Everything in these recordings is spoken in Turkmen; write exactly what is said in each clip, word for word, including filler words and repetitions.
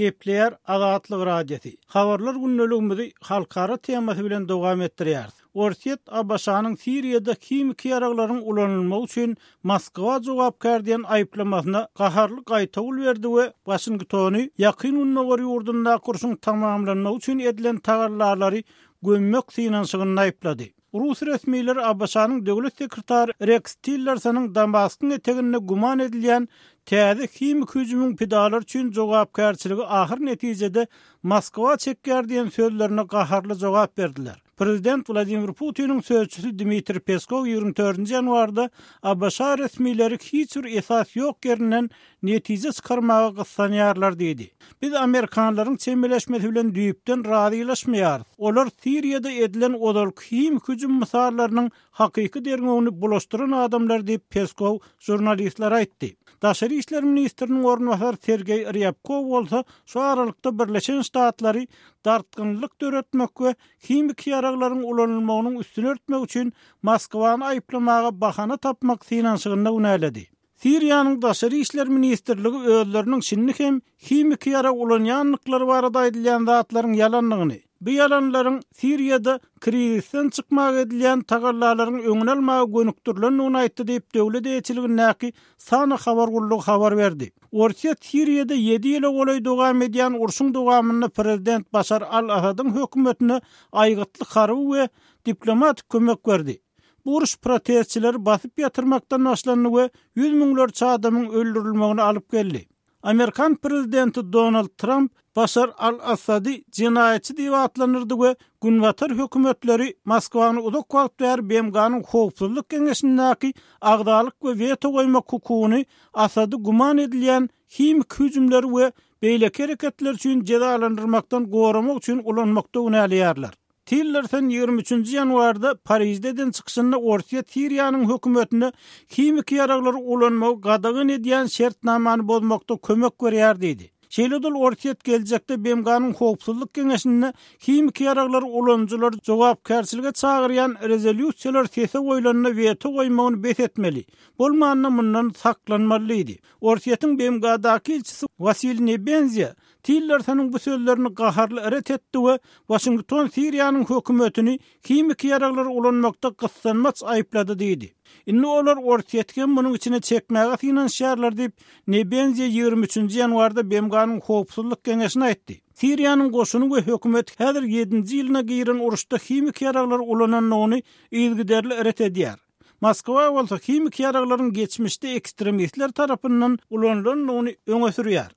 Gepleýär Azatlyk Radiosy. Habarlar gündeligimizi halkara temasy bilen dowam etdirýäris. Orsýet ABŞ-nyň Siriýada himiki ýaraglaryň ulanylmagy üçin Moskwa jogapkär diýen aýyplamasyna gaharly gaýtawul berdi we Waşingtony Ýakyn Gündogar ýurdundaky urşuň tamamlanmagy üçin edilen tagallalary gömmek synanyşygynda aýyplady. Rus resmileri ABŞ-nyň döwlet sekretary Rex Tillersonyň Damaskyň eteginde güman edilýän täze himiki hüjümiň pidalary üçin jogapkärçiligi ahyr netijede Moskwa çekýär diýen sözlerine gaharly jogap berdiler. Prezident Wladimir Putiniň sözçüsi Dmitriý Peskow ýigrimi dördünji ýanwarda ABŞ resmileri hiç bir esas ýok ýerinden netije çykarmaga gyssanýarlar diýdi. Biz amerikanlaryň çemeleşmesi bilen düýpden razylaşmaýarys. Olar Siriýada edilen ozalky himiki hüjüm mysallarynyň hakyky derňewini bulaşdyran adamlar diýip Peskow žurnalistlere aýtdy. Daşary işler ministriniň orunbasary Sergeý Rýabkow bolsa şu aralykda Birleşen Ştatlary dartgynlyk döretmek we himiki ýaraglaryň ulanylmagynyň üstüni örtmek üçin Moskwany aýyplamaga bahana tapmak synanyşygynda günäledi. Siriýanyň Daşary işler ministrligi özleriniň şindi hem himiki ýarag ulanýandyklary barada aýdylýan zatlaryň ýalandygyny, bu ýalanlaryň Siriýada krizisden çykmaga edilýän tagallalaryň öňüni almaga gönükdirilendigini aýtdy diýip döwlet eýeçiligindäki SANA habar gullugy habar berdi. Orsýet Siriýada ýedi ýyla golaý dowam edýän urşuň dowamynda prezident Başar al-Asadyň hökümetine aýgytly harby we diplomatik kömek berdi. Bu uruş protestçileri basyp ýatyrmakdan başlandy we ýüz müňlerçe adamyň öldürilmegine alyp geldi. Amerikan prezidenti Donald Trump Başar al-Assady jenaýatçy diýip atlandyrdy we Günbatar hökümetleri Moskwany uzak wagt bäri B M G-nyň Howpsuzlyk Geňeşindäki agzalyk we weto goýmak hukugyny Assady güman edilýän himiki hüjümleri we beýleki hereketler üçin jezalandyrmakdan goramak üçin ulanmakda günäleýärler. Tillerson ýigrimi üçünji ýanwarda Parijde eden çykyşynda Orsýet Siriýanyň hökümetine himiki ýaraglary ulanmagy gadagan edýän şertnamany bozmakda kömek berýär diýdi. Şeýle-de Orsýet geljekde B M G-nyň Howpsuzlyk Geňeşinde himiki ýaraglary ulanyjylary jogapkärçilige çagyrýan rezolýusiýalar sese goýlanda weto goýmagyny bes etmeli. Bolmanda mundan saklanmaly diýdi. Orsýetiň B M G-daky ilçisi Wasiliy Nebenzia Tillersonyň bu sözlerini gaharly ret etdi we Waşington Siriýanyň hökümetini himiki ýaraglary ulanmakda gyssanmaç aýyplady diýdi. Indi olar Orsýeti hem munuň içine çekmäge synanyşýarlar diýip Nebenzia ýigrimi üçünji ýanwarda B M G-nyň Howpsuzlyk Geňeşine aýtdy. Siriýanyň goşuny we hökümet häzir ýedinji ýylyna giren uruşda himiki ýaraglary ulanandygyny yzygiderli ret edýär. Moskwa bolsa himiki ýaraglaryň geçmişde ekstremistler tarapyndan ulanylandygyny öňe sürýär.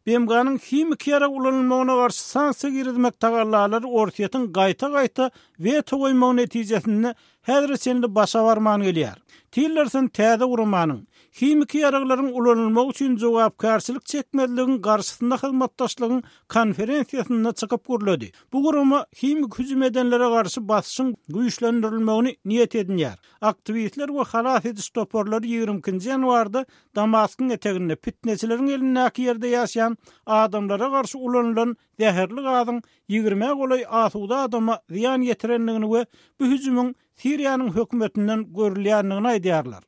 B M G-nyň himiki ýarag ulanylmagyna garşy sanksiýa girizmek tagallalary Orsýetiň gaýta-gaýta weto goýmagy netijesinde häzire çenli başa barman gelýär. Tillerson täze guramanyň himiki ýaraglaryň ulanylmagy üçin jogapkärçilik çekmezligiň garşysynda hyzmatdaşlygyň konferensiýasynda çykyp gürledi. Bu gurama himiki hüjüm edenlere garşy basyşyň güýçlendirilmegini niýet edinýär. Aktiwistler we halas ediş toparlary ýigrimi ikinji ýanwarda Damaskyň eteginde fitneçileriň elindäki ýerde ýaşaýan adamlara garşy ulanylan zäherli gazyň ýigrimä golaý asuda adama zyýan ýetirendigini we bu hüjümiň Siriýanyň hökümetinden görülýändigini aýdýarlar.